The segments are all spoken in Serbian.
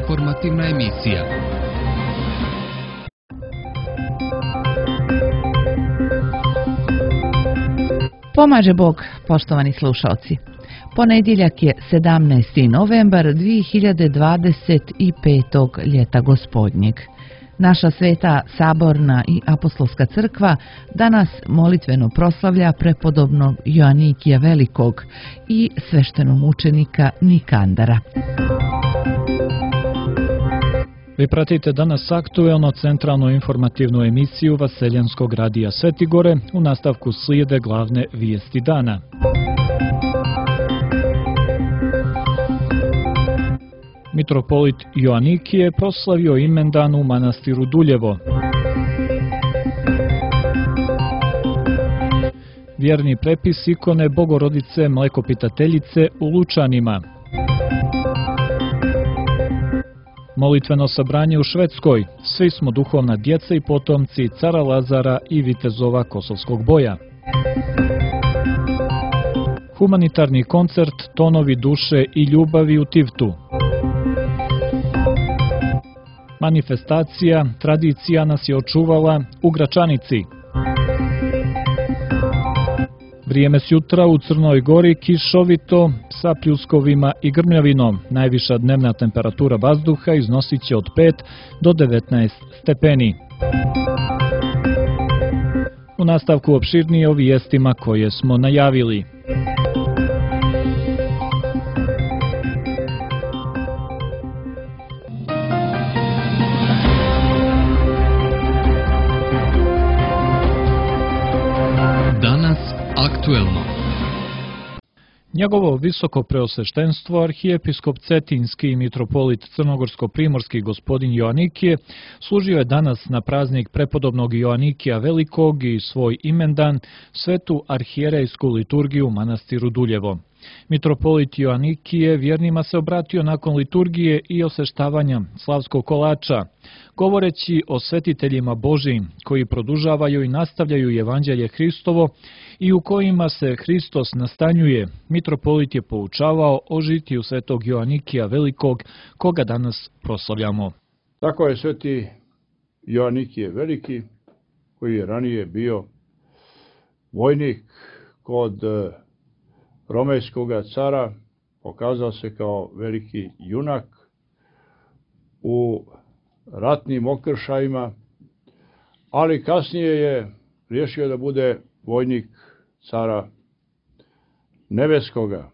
informativna emisija. Pomaže Bog, poštovani slušalci. Ponedjeljak je 17. novembar 2025. ljeta gospodnjeg. Naša sveta saborna i apostolska crkva danas molitveno proslavlja prepodobnog Joanikija Velikog i sveštenomučenika Nikandara. Vi pratite danas aktuelno centralnu informativnu emisiju Vaseljanskog radija Svetigore. U nastavku slijede glavne vijesti dana. Mitropolit Joanikije proslavio imendan u manastiru Duljevo. Vjerni prepis ikone Bogorodice Mlekopitateljice u Lučanima. Molitveno sabranje u Švedskoj. Svi smo duhovna djeca i potomci cara Lazara i vitezova kosovskog boja. Humanitarni koncert Tonovi duše i ljubavi u Tivtu. Manifestacija Tradicija nas je očuvala u Gračanici. Vrijeme s jutra u Crnoj Gori kišovito sa pljuskovima i grmljavinom. Najviša dnevna temperatura vazduha iznosit će od 5 do 19 stepeni. U nastavku opširnije o vijestima koje smo najavili. Aktuelno. Njegovo visoko preosveštenstvo arhijepiskop Cetinski i mitropolit Crnogorsko-primorski gospodin Joanikije služio je danas na praznik prepodobnog Joanikija Velikog i svoj imendan svetu arhijerejsku liturgiju u manastiru Duljevo. Mitropolit Joanikije vjernima se obratio nakon liturgije i osveštavanja slavskog kolača, govoreći o svetiteljima Božijim koji produžavaju i nastavljaju evanđelje Hristovo i u kojima se Hristos nastanjuje. Mitropolit je poučavao o žitiju svetog Joanikija Velikog, koga danas proslavljamo. Tako je sveti Joanikije Veliki, koji je ranije bio vojnik kod romejskog cara, pokazao se kao veliki junak u ratnim okršajima, ali kasnije je riješio da bude vojnik cara nebeskoga.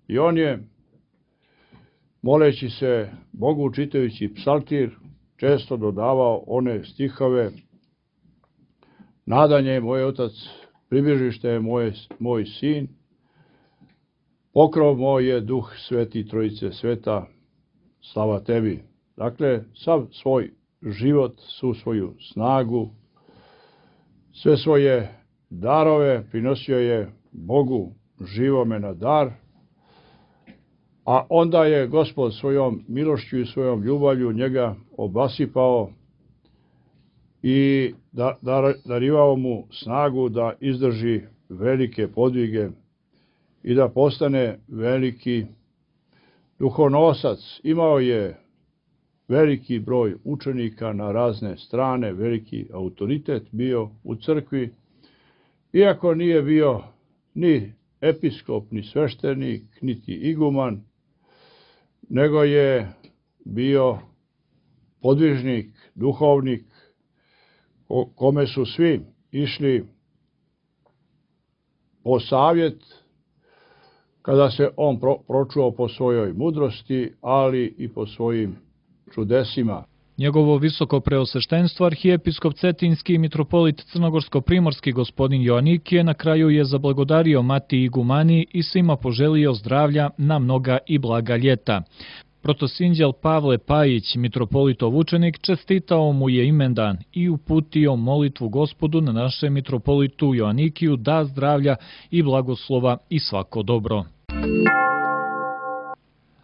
I on je, moleći se Bogu, čitajući psaltir, često dodavao one stihove: nadanje je moj otac, pribežište je moj sin, pokrov moj je duh sveti trojice sveta, slava tebi. Dakle, sav svoj život, svu svoju snagu, sve svoje darove prinosio je Bogu živome na dar, a onda je Gospod svojom milošću i svojom ljubavlju njega obasipao i darivao mu snagu da izdrži velike podvige i da postane veliki duhonosac. Imao je veliki broj učenika na razne strane, veliki autoritet bio u crkvi, iako nije bio ni episkop, ni sveštenik, niti iguman, nego je bio podvižnik, duhovnik, kome su svi išli po savjet kada se on pročuo po svojoj mudrosti, ali i po svojim čudesima. Njegovo visoko preosveštenstvo arhijepiskop Cetinski i mitropolit Crnogorsko-primorski gospodin Joanikije na kraju je zablagodario Mati igumani i svima poželio zdravlja na mnoga i blaga ljeta. Protosinđel Pavle Pajić, mitropolitov učenik, čestitao mu je imendan i uputio molitvu Gospodu na našem mitropolitu Joanikiju da zdravlja i blagoslova i svako dobro.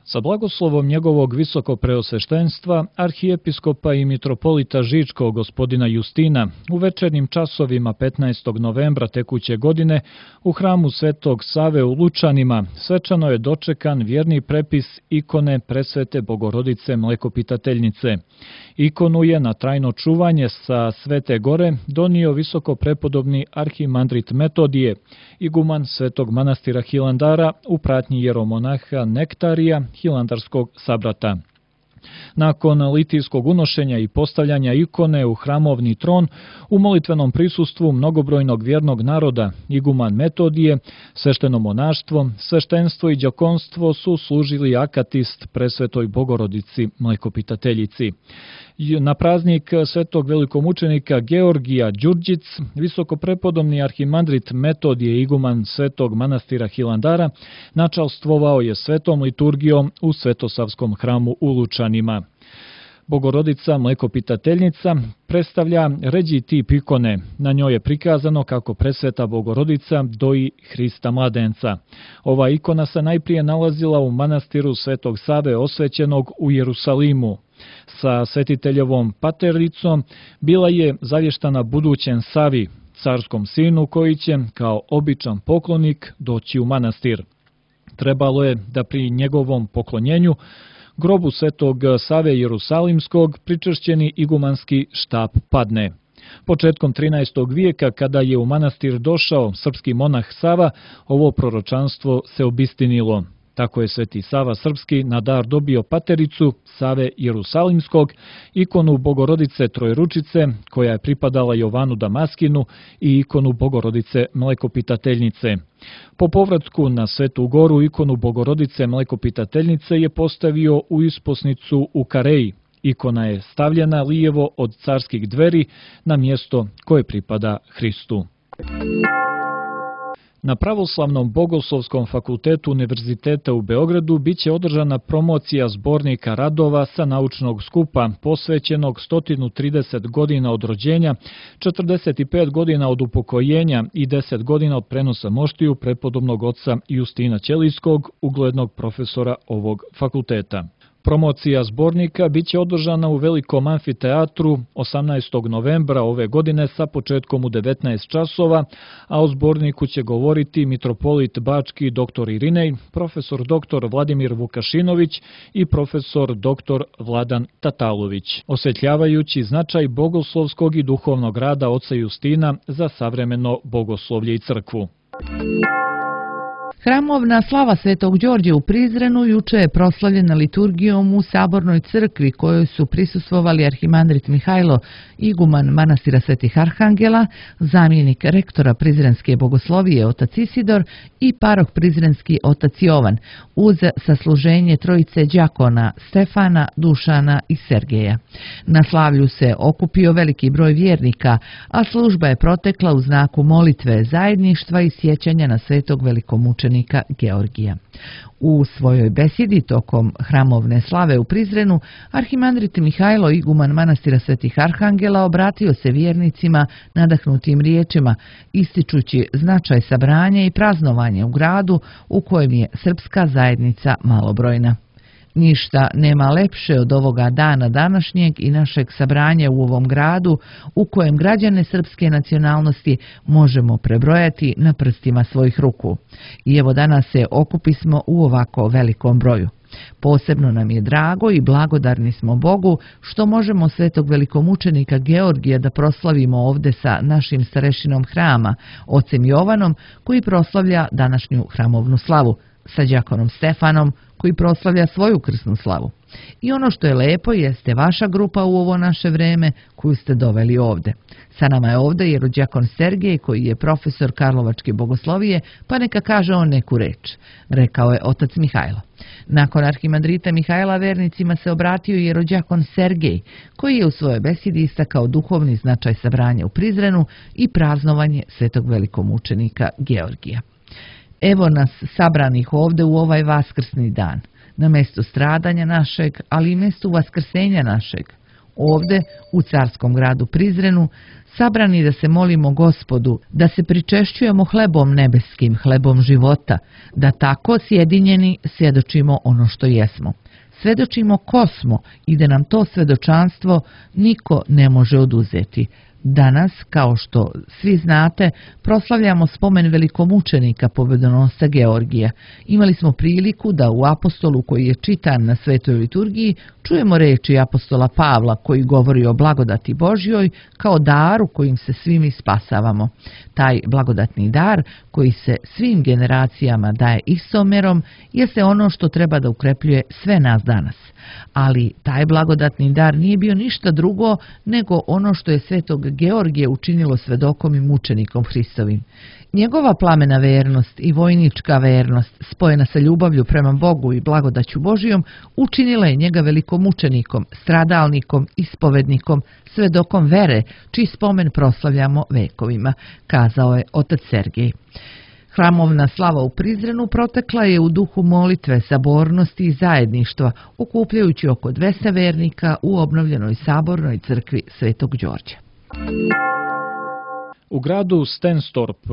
Sa blagoslovom njegovog visokopreosveštenstva, arhijepiskopa i mitropolita Žičkog gospodina Justina, u večernjim časovima 15. novembra tekuće godine u hramu Svetog Save u Lučanima svečano je dočekan vjerni prepis ikone Presvete Bogorodice Mlekopitateljnice. Ikonu je na trajno čuvanje sa Svete Gore donio visokoprepodobni arhimandrit Metodije, iguman Svetog manastira Hilandara u pratnji jeromonaha Nektarija, hilandarskog sabrata. Nakon litijskog unošenja i postavljanja ikone u hramovni tron, u molitvenom prisustvu mnogobrojnog vjernog naroda, iguman Metodije, svešteno monaštvo, sveštenstvo i đakonstvo su služili akatist Presvetoj Bogorodici Mlekopitateljici. Na praznik svetog velikomučenika Georgija Đurđic, visokoprepodobni arhimandrit Metodije, iguman Svetog manastira Hilandara, načalstvovao je svetom liturgijom u Svetosavskom hramu u Lučanima. Bogorodica Mlekopitateljnica predstavlja ređi tip ikone. Na njoj je prikazano kako Presveta Bogorodica doji Hrista mladenca. Ova ikona se najprije nalazila u manastiru Svetog Save osvećenog u Jerusalimu. Sa svetiteljevom patericom bila je zavještana budućem Savi, carskom sinu koji će, kao običan poklonik, doći u manastir. Trebalo je da pri njegovom poklonjenju grobu Svetog Save Jerusalimskog pričvršćeni igumanski štap padne. Početkom 13. vijeka, kada je u manastir došao srpski monah Sava, ovo proročanstvo se obistinilo. Tako je Sveti Sava Srpski na dar dobio patericu Save Jerusalimskog, ikonu Bogorodice Trojručice, koja je pripadala Jovanu Damaskinu, i ikonu Bogorodice Mlekopitateljnice. Po povratku na Svetu Goru, ikonu Bogorodice Mlekopitateljnice je postavio u isposnicu u Kareji. Ikona je stavljena lijevo od carskih dveri na mjesto koje pripada Hristu. Na Pravoslavnom bogoslovskom fakultetu Univerziteta u Beogradu biće održana promocija zbornika radova sa naučnog skupa posvećenog 130 godina od rođenja, 45 godina od upokojenja i 10 godina od prenosa moštiju prepodobnog oca Justina Ćelijskog, uglednog profesora ovog fakulteta. Promocija zbornika biće održana u Velikom amfiteatru 18. novembra ove godine sa početkom u 19 časova, a o zborniku će govoriti mitropolit Bački dr. Irinej, profesor dr. Vladimir Vukašinović i profesor dr. Vladan Tatalović, osvetljavajući značaj bogoslovskog i duhovnog rada oca Justina za savremeno bogoslovlje i crkvu. Hramovna slava Svetog Đorđa u Prizrenu juče je proslavljena liturgijom u Sabornoj crkvi kojoj su prisustvovali arhimandrit Mihajlo, iguman manastira Svetih Arhangela, zamjenik rektora Prizrenske bogoslovije otac Isidor i parok Prizrenski otac Jovan, uz sasluženje trojice đakona Stefana, Dušana i Sergeja. Na slavlju se okupio veliki broj vjernika, a služba je protekla u znaku molitve, zajedništva i sjećanja na svetog velikomučenika Georgija. U svojoj besjedi tokom hramovne slave u Prizrenu, arhimandrit Mihajlo, iguman manastira Svetih Arhangela, obratio se vjernicima nadahnutim riječima, ističući značaj sabranja i praznovanja u gradu u kojem je srpska zajednica malobrojna. Ništa nema lepše od ovoga dana današnjeg i našeg sabranja u ovom gradu u kojem građane srpske nacionalnosti možemo prebrojati na prstima svojih ruku. I evo danas se okupismo u ovako velikom broju. Posebno nam je drago i blagodarni smo Bogu što možemo svetog velikomučenika Georgija da proslavimo ovde sa našim starešinom hrama, ocem Jovanom, koji proslavlja današnju hramovnu slavu, sa đakonom Stefanom, koji proslavlja svoju krsnu slavu. I ono što je lepo jeste vaša grupa u ovo naše vreme koju ste doveli ovde. Sa nama je ovde jerođakon Sergej, koji je profesor Karlovačke bogoslovije, pa neka kaže on neku reč, rekao je otac Mihajlo. Nakon arhimandrita Mihajla vernicima se obratio jerođakon Sergej, koji je u svojoj besedi istakao duhovni značaj sabranja u Prizrenu i praznovanje svetog velikomučenika Georgija. Evo nas sabranih ovde u ovaj vaskrsni dan, na mjestu stradanja našeg, ali i mjestu vaskrsenja našeg, Ovde, u carskom gradu Prizrenu, sabrani da se molimo Gospodu, da se pričešćujemo hlebom nebeskim, hlebom života, da tako sjedinjeni svjedočimo ono što jesmo. Svedočimo ko smo i da nam to svedočanstvo niko ne može oduzeti. Danas, kao što svi znate, proslavljamo spomen velikomučenika pobedonosca Georgija. Imali smo priliku da u apostolu koji je čitan na svetoj liturgiji čujemo reči apostola Pavla koji govori o blagodati Božjoj kao daru kojim se svi mi spasavamo. Taj blagodatni dar koji se svim generacijama daje istomerom jeste ono što treba da ukrepljuje sve nas danas. Ali taj blagodatni dar nije bio ništa drugo nego ono što je svetog Georgije učinilo svedokom i mučenikom Hristovim. Njegova plamena vernost i vojnička vernost, spojena sa ljubavlju prema Bogu i blagodaću Božijom, učinila je njega velikomučenikom, stradalnikom, ispovednikom, svedokom vere, čiji spomen proslavljamo vekovima, kazao je otac Sergej. Hramovna slava u Prizrenu protekla je u duhu molitve, sabornosti i zajedništva, okupljajući oko 200 vernika u obnovljenoj sabornoj crkvi Svetog Đorđa. U gradu Stenstorp,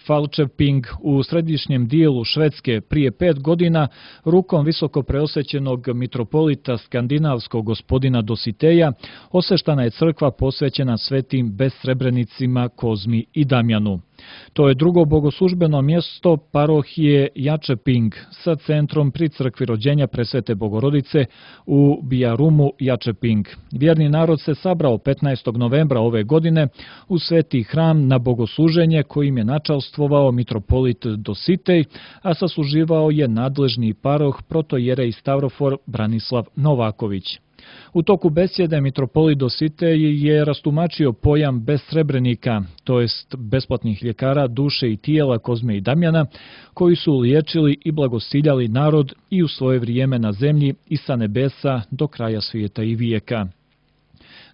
Falköping u središnjem dijelu Švedske prije 5 godina rukom visoko preosvećenog mitropolita skandinavskog gospodina Dositeja osveštana je crkva posvećena svetim besrebrenicima Kozmi i Damjanu. To je drugo bogoslužbeno mjesto parohije Jačeping sa centrom pri crkvi rođenja Presvete Bogorodice u Bijarumu Jačeping. Vjerni narod se sabrao 15. novembra ove godine u sveti hram na bogosluženje kojim je načalstvovao mitropolit Dositej, a sasluživao je nadležni paroh protojerej Stavrofor Branislav Novaković. U toku besjede mitropolit Dositej je rastumačio pojam besrebrenika, to jest besplatnih ljekara duše i tijela Kozme i Damjana, koji su liječili i blagosiljali narod i u svoje vrijeme na zemlji i sa nebesa do kraja svijeta i vijeka.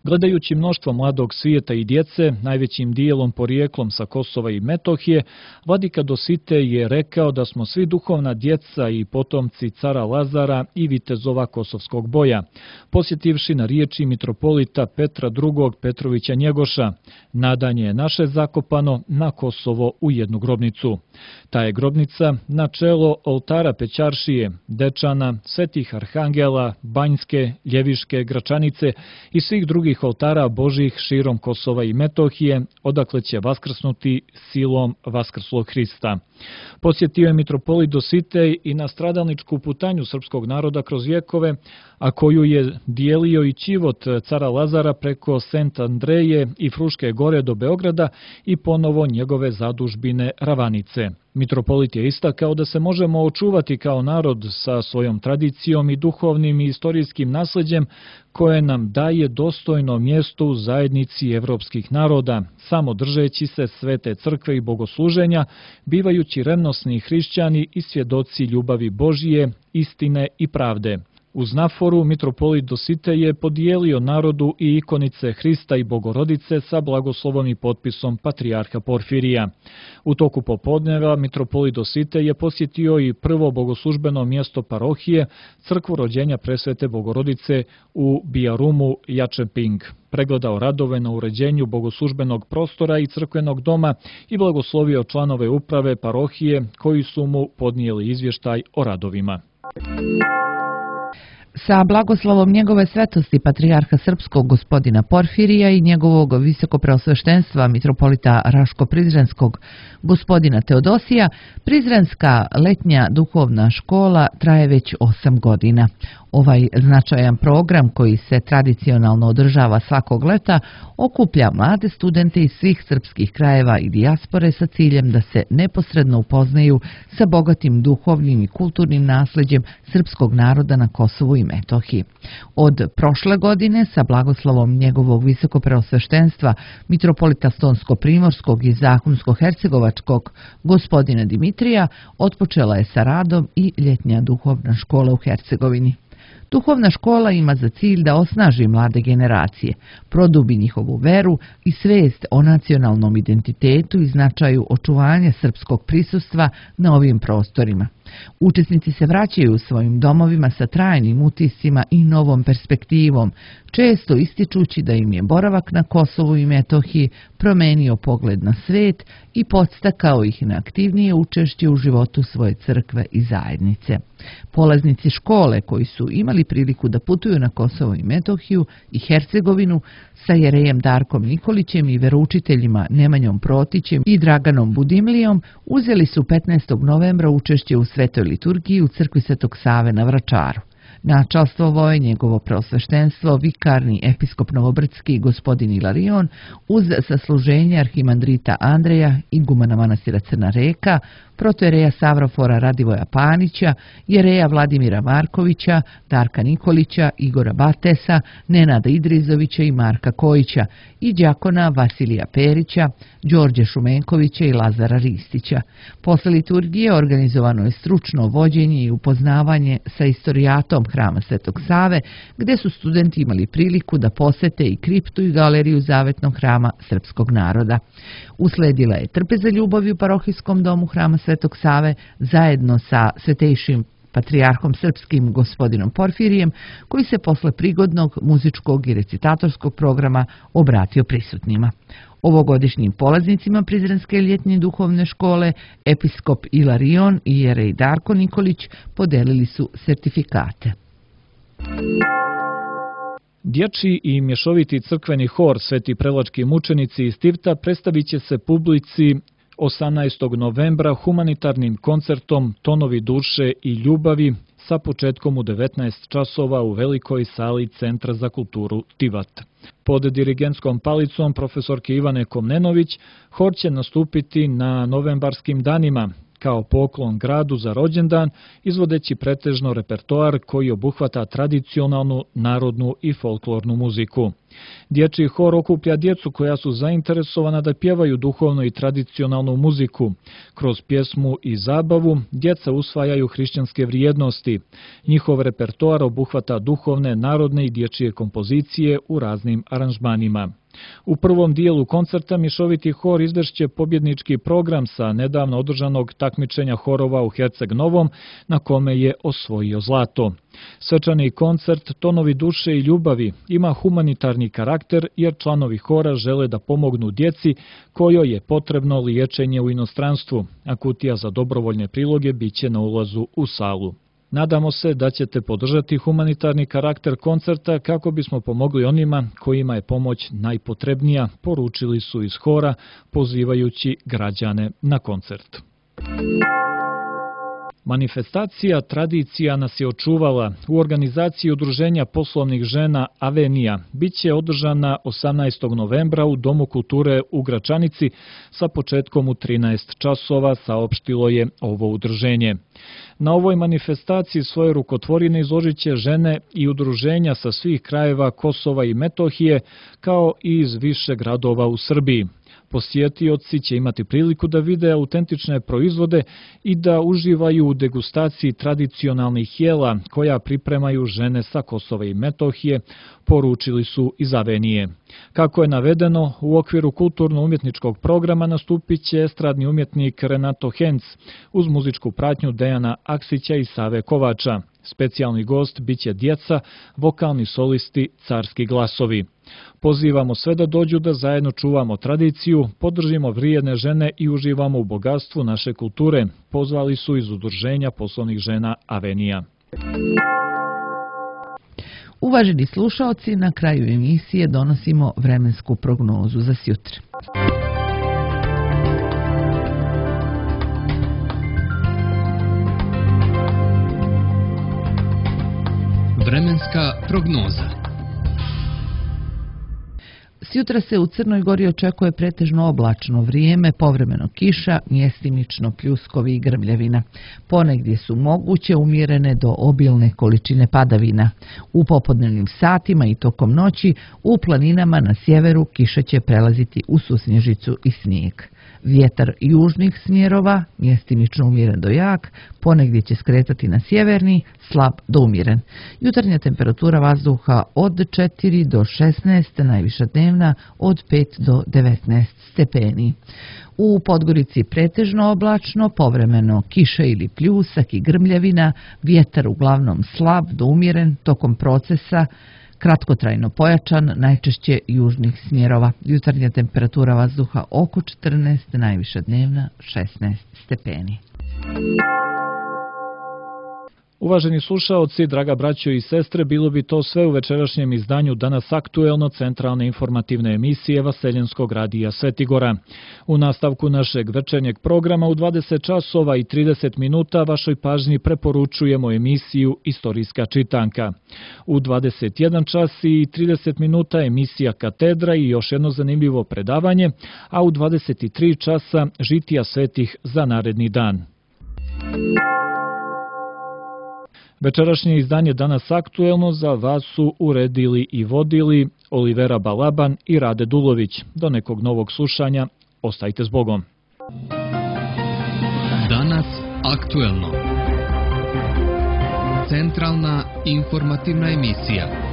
Gledajući mnoštvo mladog svijeta i djece, najvećim dijelom porijeklom sa Kosova i Metohije, vladika Dositej je rekao da smo svi duhovna djeca i potomci cara Lazara i vitezova kosovskog boja, posjetivši na riječi mitropolita Petra II. Petrovića Njegoša: nadanje je naše zakopano na Kosovo u jednu grobnicu. Ta je grobnica na čelo oltara Pećaršije, Dečana, Svetih Arhangela, Banjske, Ljeviške, Gračanice i svih drugih oltara Božih širom Kosova i Metohije, odakle će vaskrsnuti silom vaskrslog Hrista. Posjetio je mitropolit Dositej i na stradalničku putanju srpskog naroda kroz vjekove, a koju je dijelio i čivot cara Lazara preko Sent Andreje i Fruške gore do Beograda i ponovo njegove zadužbine Ravanice. Mitropolit je istakao da se možemo očuvati kao narod sa svojom tradicijom i duhovnim i istorijskim nasljeđem koje nam daje dostojno mjesto u zajednici evropskih naroda, samo držeći se svete crkve i bogosluženja, bivajući revnosni hrišćani i svjedoci ljubavi Božije, istine i pravde. Uz naforu mitropolit Dositej je podijelio narodu i ikonice Hrista i Bogorodice sa blagoslovom i potpisom patrijarha Porfirija. U toku popodneva mitropolit Dositej je posjetio i prvo bogoslužbeno mjesto parohije, crkvu rođenja Presvete Bogorodice u Bijarumu Jačeping. Pregledao radove na uređenju bogoslužbenog prostora i crkvenog doma i blagoslovio članove uprave parohije koji su mu podnijeli izvještaj o radovima. Sa blagoslovom njegove svetosti patrijarha srpskog gospodina Porfirija i njegovog visokopreosveštenstva mitropolita Raško-Prizrenskog gospodina Teodosija, Prizrenska letnja duhovna škola traje već 8 godina. Ovaj značajan program koji se tradicionalno održava svakog leta okuplja mlade studente iz svih srpskih krajeva i dijaspore sa ciljem da se neposredno upoznaju sa bogatim duhovnim i kulturnim nasljeđem srpskog naroda na Kosovu i Metohiji. Od prošle godine sa blagoslovom njegovog visokopreosveštenstva mitropolita Stonsko-Primorskog i Zahumsko-Hercegovačkog gospodina Dimitrija otpočela je sa radom i ljetnja duhovna škola u Hercegovini. Duhovna škola ima za cilj da osnaži mlade generacije, produbi njihovu veru i svijest o nacionalnom identitetu i značaju očuvanja srpskog prisustva na ovim prostorima. Učesnici se vraćaju u svojim domovima sa trajnim utiscima i novom perspektivom, često ističući da im je boravak na Kosovu i Metohiji promenio pogled na svet i podstakao ih na aktivnije učešće u životu svoje crkve i zajednice. Polaznici škole koji su imali priliku da putuju na Kosovo i Metohiju i Hercegovinu sa jerejem Darkom Nikolićem i veroučiteljima Nemanjom Protićem i Draganom Budimlijom uzeli su 15. novembra učešće u svetoj liturgiji u crkvi Svetog Save na Vračaru. Načalstvovao je njegovo preosveštenstvo vikarni episkop Novobrdski gospodin Ilarion uz sasluženje arhimandrita Andreja, igumana manastira Crna Reka, protojereja Savrofora Radivoja Panića, jereja Vladimira Markovića, Darka Nikolića, Igora Batesa, Nenada Idrizovića i Marka Kojića i đakona Vasilija Perića, Đorđe Šumenkovića i Lazara Ristića. Posle liturgije organizovano je stručno vođenje i upoznavanje sa istorijatom hrama Svetog Save, gde su studenti imali priliku da posete i kriptu i galeriju zavetnog hrama srpskog naroda. Usledila je trpeza ljubavi u parohijskom domu hrama Svetog Save zajedno sa svetejšim patrijarhom srpskim gospodinom Porfirijem, koji se posle prigodnog muzičkog i recitatorskog programa obratio prisutnima. Ovogodišnjim polaznicima Prizrenske ljetnje duhovne škole episkop Ilarion i jerej Darko Nikolić podelili su sertifikate. Dječji i mješoviti crkveni hor Sveti Preločki mučenici iz Tivta predstavit će se publici 18. novembra humanitarnim koncertom Tonovi duše i ljubavi sa početkom u 19 časova u velikoj sali Centra za kulturu Tivat. Pod dirigentskom palicom profesorke Ivane Komnenović hor će nastupiti na novembarskim danima kao poklon gradu za rođendan, izvodeći pretežno repertoar koji obuhvata tradicionalnu, narodnu i folklornu muziku. Dječji hor okuplja djecu koja su zainteresovana da pjevaju duhovnu i tradicionalnu muziku. Kroz pjesmu i zabavu djeca usvajaju hrišćanske vrijednosti. Njihov repertoar obuhvata duhovne, narodne i dječje kompozicije u raznim aranžmanima. U prvom dijelu koncerta mješoviti hor izvešće pobjednički program sa nedavno održanog takmičenja horova u Herceg Novom, na kome je osvojio zlato. Svečani koncert Tonovi duše i ljubavi ima humanitarni karakter jer članovi hora žele da pomognu djeci kojoj je potrebno liječenje u inostranstvu, a kutija za dobrovoljne priloge biće na ulazu u salu. Nadamo se da ćete podržati humanitarni karakter koncerta kako bismo pomogli onima kojima je pomoć najpotrebnija, poručili su iz hora, pozivajući građane na koncert. Manifestacija Tradicija nas je očuvala u organizaciji Udruženja poslovnih žena Avenija biće održana 18. novembra u Domu kulture u Gračanici sa početkom u 13 časova, saopštilo je ovo udruženje. Na ovoj manifestaciji svoje rukotvorine izložit će žene i udruženja sa svih krajeva Kosova i Metohije, kao i iz više gradova u Srbiji. Posjetioci će imati priliku da vide autentične proizvode i da uživaju u degustaciji tradicionalnih jela koja pripremaju žene sa Kosova i Metohije, poručili su iz Avenije. Kako je navedeno, u okviru kulturno-umjetničkog programa nastupit će estradni umjetnik Renato Henc uz muzičku pratnju Dejana Aksića i Save Kovača. Specijalni gost biće djeca, vokalni solisti, carski glasovi. Pozivamo sve da dođu da zajedno čuvamo tradiciju, podržimo vrijedne žene i uživamo u bogatstvu naše kulture, pozvali su iz Udruženja poslovnih žena Avenija. Uvaženi slušaoci, na kraju emisije donosimo vremensku prognozu za sjutra. Vremenska prognoza. Sjutra se u Crnoj Gori očekuje pretežno oblačno vrijeme, povremeno kiša, mjestimično pljuskovi i grmljavina. Ponegdje su moguće umjerene do obilne količine padavina. U popodnevnim satima i tokom noći u planinama na sjeveru kiša će prelaziti u susnježicu i snijeg. Vjetar južnih smjerova, mjestimično umjeren do jak, ponegdje će skretati na sjeverni, slab do umjeren. Jutarnja temperatura vazduha od 4 do 16, najviša dnevna od 5 do 19 stepeni. U Podgorici pretežno oblačno, povremeno kiša ili pljusak i grmljavina, vjetar uglavnom slab do umjeren, tokom procesa kratkotrajno pojačan, najčešće južnih smjerova. Jutarnja temperatura vazduha oko 14, najviša dnevna 16 stepeni. Uvaženi slušaoci, draga braćo i sestre, bilo bi to sve u večerašnjem izdanju Danas aktuelno centralne informativne emisije Vaseljenskog radija Svetigora. U nastavku našeg večernjeg programa u 20 časova i 30 minuta vašoj pažnji preporučujemo emisiju Istorijska čitanka. U 21 čas i 30 minuta emisija Katedra i još jedno zanimljivo predavanje, a u 23 časa žitija svetih za naredni dan. Večerašnje izdanje Danas aktuelno za vas su uredili i vodili Olivera Balaban i Rade Dulović. Do nekog novog slušanja, ostajte s Bogom. Danas aktuelno. Centralna informativna emisija.